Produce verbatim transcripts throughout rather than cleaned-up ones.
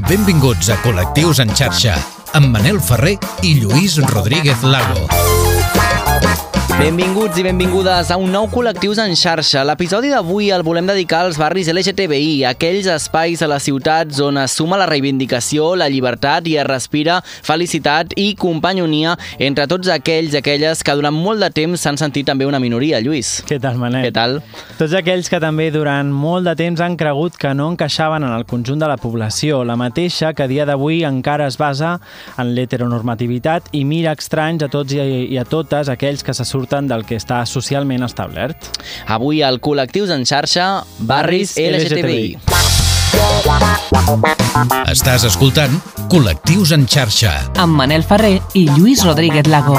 Benvinguts a Col·lectius en xarxa, amb Manel Ferrer i Lluís Rodríguez Lago. Benvinguts i benvingudes a un nou Col·lectius en xarxa. L'episodi d'avui el volem dedicar als barris L G T B I, aquells espais a les ciutats on es suma la reivindicació, la llibertat i es respira felicitat i companyonia entre tots aquells i aquelles que durant molt de temps s'han sentit també una minoria. Lluís. Què tal, Manel? Què tal? Tots aquells que també durant molt de temps han cregut que no encaixaven en el conjunt de la població, la mateixa que a dia d'avui encara es basa en l'heteronormativitat i mira estranys a tots i a totes aquells que se surten del que està socialment establert. Avui al Col·lectius en xarxa, barris L G T B I. Estàs escoltant Col·lectius en xarxa amb Manel Ferrer i Lluís Rodríguez Lago.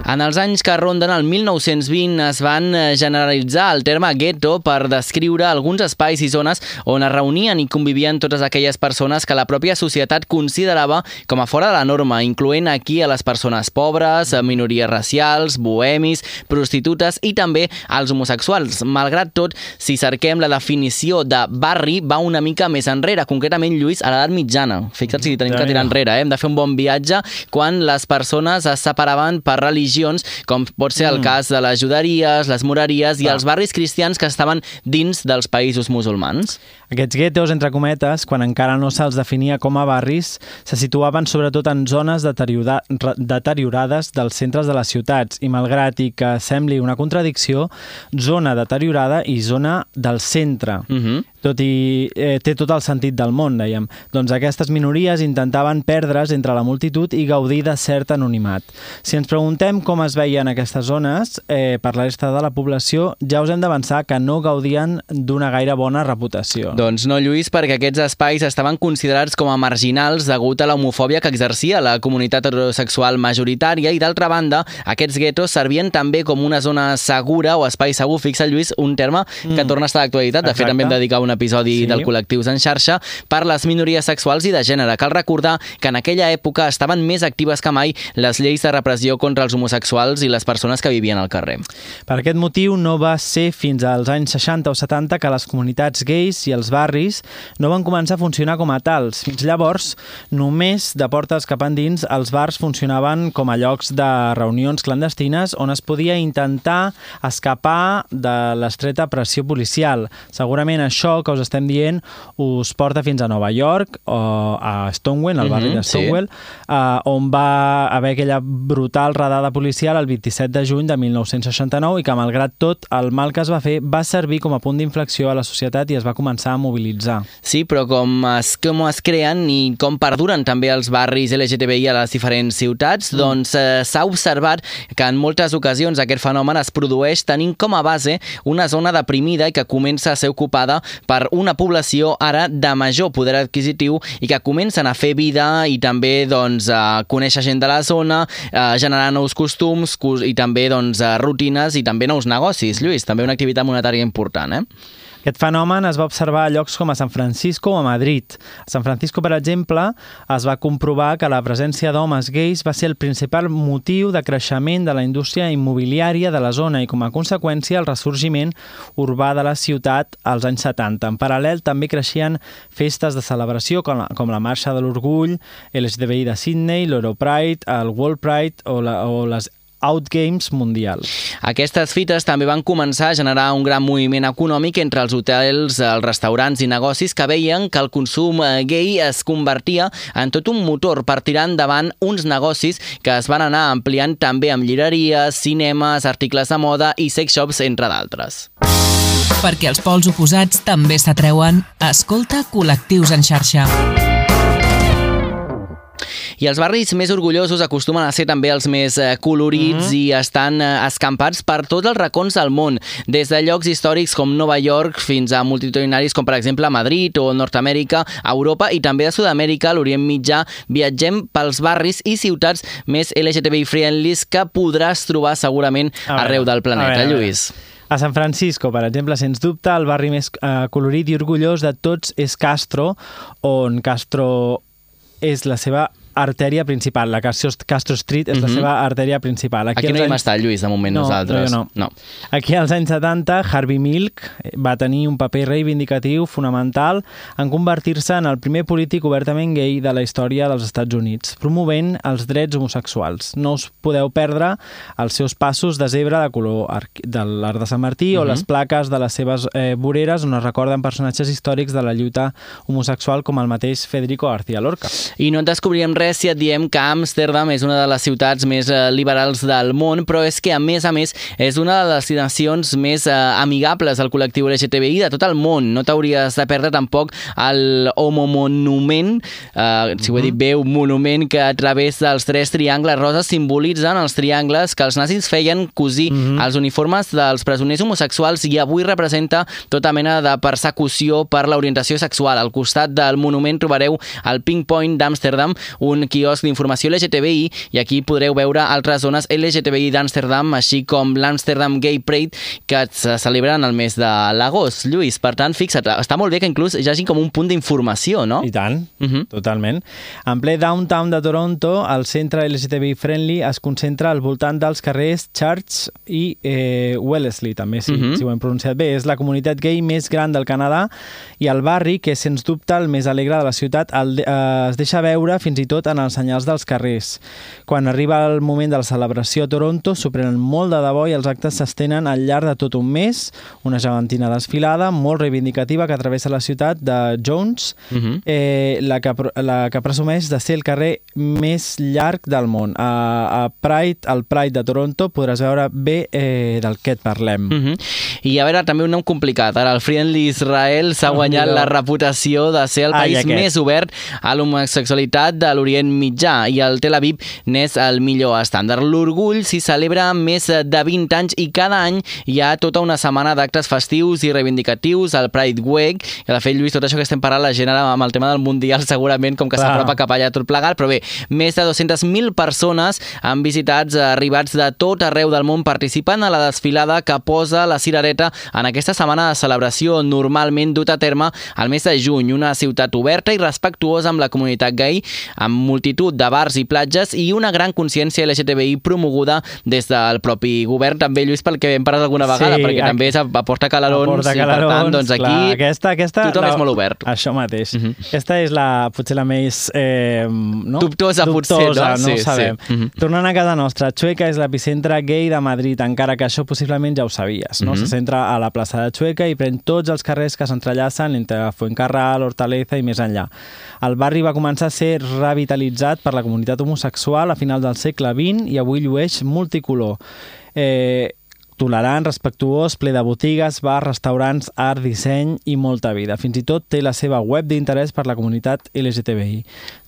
En els anys que ronden el mil nou-cents vint es van generalitzar el terme gueto per descriure alguns espais i zones on es reunien i convivien totes aquelles persones que la pròpia societat considerava com a fora de la norma, incloent aquí a les persones pobres, minories racials, bohemis, prostitutes i també els homosexuals. Malgrat tot, si cerquem la definició de barri va una mica més enrere, concretament, Lluís, a l'edat mitjana. Fixa't si tenim que tirar enrere, eh? Hem de fer un bon viatge quan les persones es separaven per religió, com pot ser el cas de les juderies, les moreries i els barris cristians que estaven dins dels països musulmans. Aquests guetos, entre cometes, quan encara no se'ls definia com a barris, se situaven sobretot en zones deteriora deteriorades dels centres de les ciutats i, malgrat i que sembli una contradicció, zona deteriorada i zona del centre. Uh-huh. Tot i eh, té tot el sentit del món, dèiem. Doncs aquestes minories intentaven perdre's entre la multitud i gaudir de cert anonimat. Si ens preguntem com es veien aquestes zones eh, per la resta de la població, ja us hem d'avançar que no gaudien d'una gaire bona reputació. Doncs no, Lluís, perquè aquests espais estaven considerats com a marginals degut a la homofòbia que exercia la comunitat heterosexual majoritària i, d'altra banda, aquests guetos servien també com una zona segura o espai segur. Fixa, Lluís, un terme que mm. torna a estar d'actualitat. De Exacte. fet, també hem dedicat un episodi sí. del Col·lectius en xarxa per les minories sexuals i de gènere. Cal recordar que en aquella època estaven més actives que mai les lleis de repressió contra els homosexuals i les persones que vivien al carrer. Per aquest motiu no va ser fins als anys seixanta o setanta que les comunitats gais i els barris no van començar a funcionar com a tals. Fins llavors, només de portes cap endins, els bars funcionaven com a llocs de reunions clandestines on es podia intentar escapar de l'estreta pressió policial. Segurament això que us estem dient us porta fins a Nova York o a Stonewall, al barri de Stonewall, sí. uh, on va haver aquella brutal redada policial el vint-i-set de juny de mil nou-cents seixanta-nou i que, malgrat tot, el mal que es va fer va servir com a punt d'inflexió a la societat i es va començar a mobilitzar. Sí, però com es, com es creen i com perduren també els barris L G T B I a les diferents ciutats, mm. doncs eh, s'ha observat que en moltes ocasions aquest fenomen es produeix tenint com a base una zona deprimida i que comença a ser ocupada per una població ara de major poder adquisitiu i que comencen a fer vida i també doncs, a conèixer gent de la zona, a generar nous costums i també doncs, rutines i també nous negocis. Lluís, també una activitat monetària important, eh? Aquest fenomen es va observar a llocs com a San Francisco o a Madrid. A San Francisco, per exemple, es va comprovar que la presència d'homes gais va ser el principal motiu de creixement de la indústria immobiliària de la zona i, com a conseqüència, el ressorgiment urbà de la ciutat als anys setanta. En paral·lel, també creixien festes de celebració com la, com la Marxa de l'Orgull, L G T B I de Sydney, l'Europride, el World Pride o, la, o les Outgames mundials. Aquestes fites també van començar a generar un gran moviment econòmic entre els hotels, els restaurants i negocis que veien que el consum gay es convertia en tot un motor per tirar endavant uns negocis que es van anar ampliant també amb llibreries, cinemes, articles de moda i sex shops, entre d'altres. Perquè els pols oposats també s'atreuen, escolta Col·lectius en xarxa. I els barris més orgullosos acostumen a ser també els més colorits mm-hmm. i estan escampats per tots els racons del món, des de llocs històrics com Nova York fins a multitudinaris com per exemple Madrid o Nord-Amèrica, Europa i també a Sud-amèrica, l'Orient Mitjà. Viatgem pels barris i ciutats més L G T B I friendlies que podràs trobar segurament veure, arreu del planeta, veure, Lluís. A San Francisco, per exemple, sens dubte, el barri més eh, colorit i orgullós de tots és Castro, on Castro és la seva artèria principal. La Castro Street és uh-huh. la seva artèria principal. Aquí, Aquí no hi hem anys... estat, Lluís, de moment no, nosaltres. No, no. Aquí als anys setanta, Harvey Milk va tenir un paper reivindicatiu fonamental en convertir-se en el primer polític obertament gay de la història dels Estats Units, promovent els drets homosexuals. No us podeu perdre els seus passos de zebra de color de l'Arc de Sant Martí uh-huh. o les plaques de les seves eh, voreres on es recorden personatges històrics de la lluita homosexual com el mateix Federico García Lorca. I no et descobrirem res si et diem que Amsterdam és una de les ciutats més eh, liberals del món, però és que, a més a més, és una de les destinacions més eh, amigables al col·lectiu L G T B I de tot el món. No t'hauries de perdre tampoc el homomonument, eh, si ho he dit bé, un monument que a través dels tres triangles roses simbolitzen els triangles que els nazis feien cosir mm-hmm. els uniformes dels presoners homosexuals i avui representa tota mena de persecució per l'orientació sexual. Al costat del monument trobareu el Pink Point d'Amsterdam, un quiosc d'informació L G T B I, i aquí podreu veure altres zones L G T B I d'Amsterdam, així com l'Amsterdam Gay Parade, que se celebren el mes de l'agost. Lluís, per tant, fixa't, està molt bé que inclús hi hagi com un punt d'informació, no? I tant, uh-huh. totalment. En ple downtown de Toronto, el centre L G T B I friendly es concentra al voltant dels carrers Church i eh, Wellesley, també, si, uh-huh. si ho hem pronunciat bé. És la comunitat gay més gran del Canadà i el barri, que és sens dubte el més alegre de la ciutat, el, eh, es deixa veure fins i tot en els senyals dels carrers. Quan arriba el moment de la celebració a Toronto, s'ho prenen molt de debò i els actes s'estenen al llarg de tot un mes, una gegantina desfilada molt reivindicativa que travessa la ciutat de Jones, uh-huh. eh, la, que, la que presumeix de ser el carrer més llarg del món. A, a Pride, al Pride de Toronto, podràs veure bé eh, del que et parlem. Uh-huh. I a veure, també un nom complicat. Ara el Friendly Israel s'ha guanyat oh, la reputació de ser el país Ai, més obert a l'homosexualitat de l'Orient Mitjà, i el Tel Aviv n'és el millor estàndard. L'orgull s'hi celebra més de vint anys i cada any hi ha tota una setmana d'actes festius i reivindicatius, el Pride Week, que de fet, Lluís, tot això que estem parlant la gent ara amb el tema del Mundial segurament com que s'apropa cap allà tot plegat, però bé, més de dues-centes mil persones han visitats arribats de tot arreu del món participen a la desfilada que posa la cirereta en aquesta setmana de celebració normalment dut a terme al mes de juny, una ciutat oberta i respectuosa amb la comunitat gay, amb multitud de bars i platges i una gran consciència L G T B I promoguda des del propi govern, també, Lluís, pel que hem parlat alguna vegada, sí, perquè aquí també aporta calarons, aporta calarons i per tant, doncs aquí clar, aquesta, aquesta, tothom la, és molt obert. Això mateix. Uh-huh. Aquesta és la, potser la més eh, no? dubtosa, dubtosa, potser, no? no Sí, ho sabem. Sí. Uh-huh. Tornant a casa nostra, Chueca és l'epicentre gay de Madrid, encara que això possiblement ja ho sabies, no? Uh-huh. Se centra a la plaça de Chueca i pren tots els carrers que s'entrellacen entre Fuencarral, Hortaleza i més enllà. El barri va començar a ser revitalitzat per la comunitat homosexual a final del segle vint i avui llueix multicolor. Eh, tolerant, respectuós, ple de botigues, bars, restaurants, art, disseny i molta vida. Fins i tot té la seva web d'interès per la comunitat L G T B I.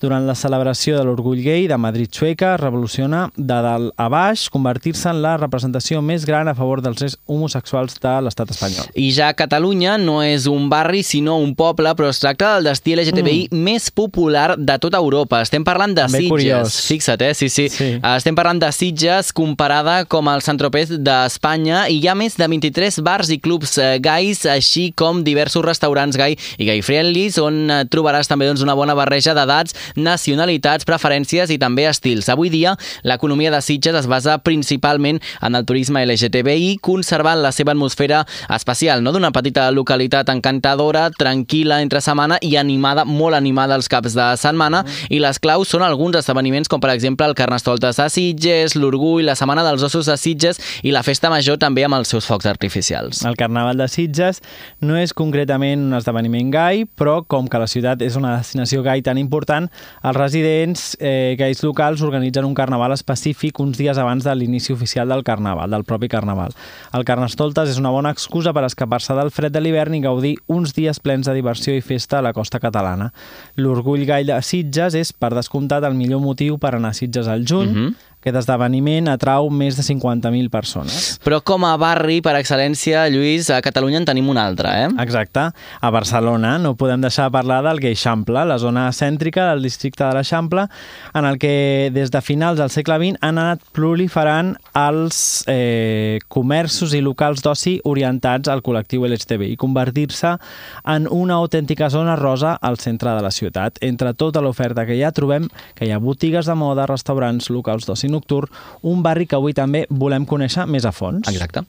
Durant la celebració de l'Orgull Gay de Madrid Chueca revoluciona de dalt a baix, convertir-se en la representació més gran a favor dels drets homosexuals de l'estat espanyol. I ja Catalunya no és un barri, sinó un poble, però es tracta del destí L G T B I mm. més popular de tota Europa. Estem parlant de Ben Sitges. Curiós. Fixa't, eh? Sí, sí, sí. Estem parlant de Sitges comparada com el Saint-Tropez d'Espanya, i hi ha més de vint-i-tres bars i clubs gais, així com diversos restaurants gai i gay friendlies, on trobaràs també doncs, una bona barreja d'edats, nacionalitats, preferències i també estils. Avui dia, l'economia de Sitges es basa principalment en el turisme L G T B I, conservant la seva atmosfera especial, no? D'una petita localitat encantadora, tranquil·la entre setmana i animada, molt animada els caps de setmana, mm. i les claus són alguns esdeveniments com per exemple el Carnestoltes a Sitges, l'Orgull, la Setmana dels Ossos a Sitges i la Festa Major també amb els seus focs artificials. El Carnaval de Sitges no és concretament un esdeveniment gai, però com que la ciutat és una destinació gai tan important, els residents eh, gais locals organitzen un carnaval específic uns dies abans de l'inici oficial del carnaval, del propi carnaval. El Carnestoltes és una bona excusa per escapar-se del fred de l'hivern i gaudir uns dies plens de diversió i festa a la costa catalana. L'Orgull Gai de Sitges és, per descomptat, el millor motiu per anar a Sitges al juny. Uh-huh. Aquest esdeveniment atrau més de cinquanta mil persones. Però com a barri, per excel·lència, Lluís, a Catalunya en tenim un altre, eh? Exacte. A Barcelona no podem deixar de parlar del Geixample, la zona cèntrica del districte de l'Eixample, en el que des de finals del segle vint han anat proliferant els eh, comerços i locals d'oci orientats al col·lectiu L G T B i convertir-se en una autèntica zona rosa al centre de la ciutat. Entre tota l'oferta que hi ha trobem que hi ha botigues de moda, restaurants, locals d'oci nocturn, un barri que avui també volem conèixer més a fons. Exacte.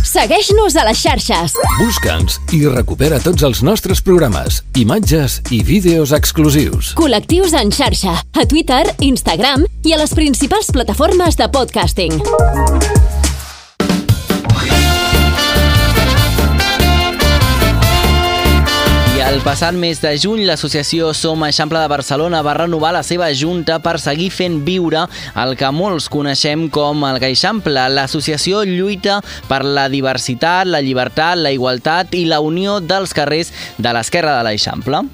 Segueix-nos a les xarxes. Busca'ns i recupera tots els nostres programes, imatges i vídeos exclusius. Col·lectius en xarxa, a Twitter, Instagram i a les principals plataformes de podcasting. El passat mes de juny, l'associació Som Eixample de Barcelona va renovar la seva junta per seguir fent viure el que molts coneixem com el Geixample. L'associació lluita per la diversitat, la llibertat, la igualtat i la unió dels carrers de l'esquerra de l'Eixample.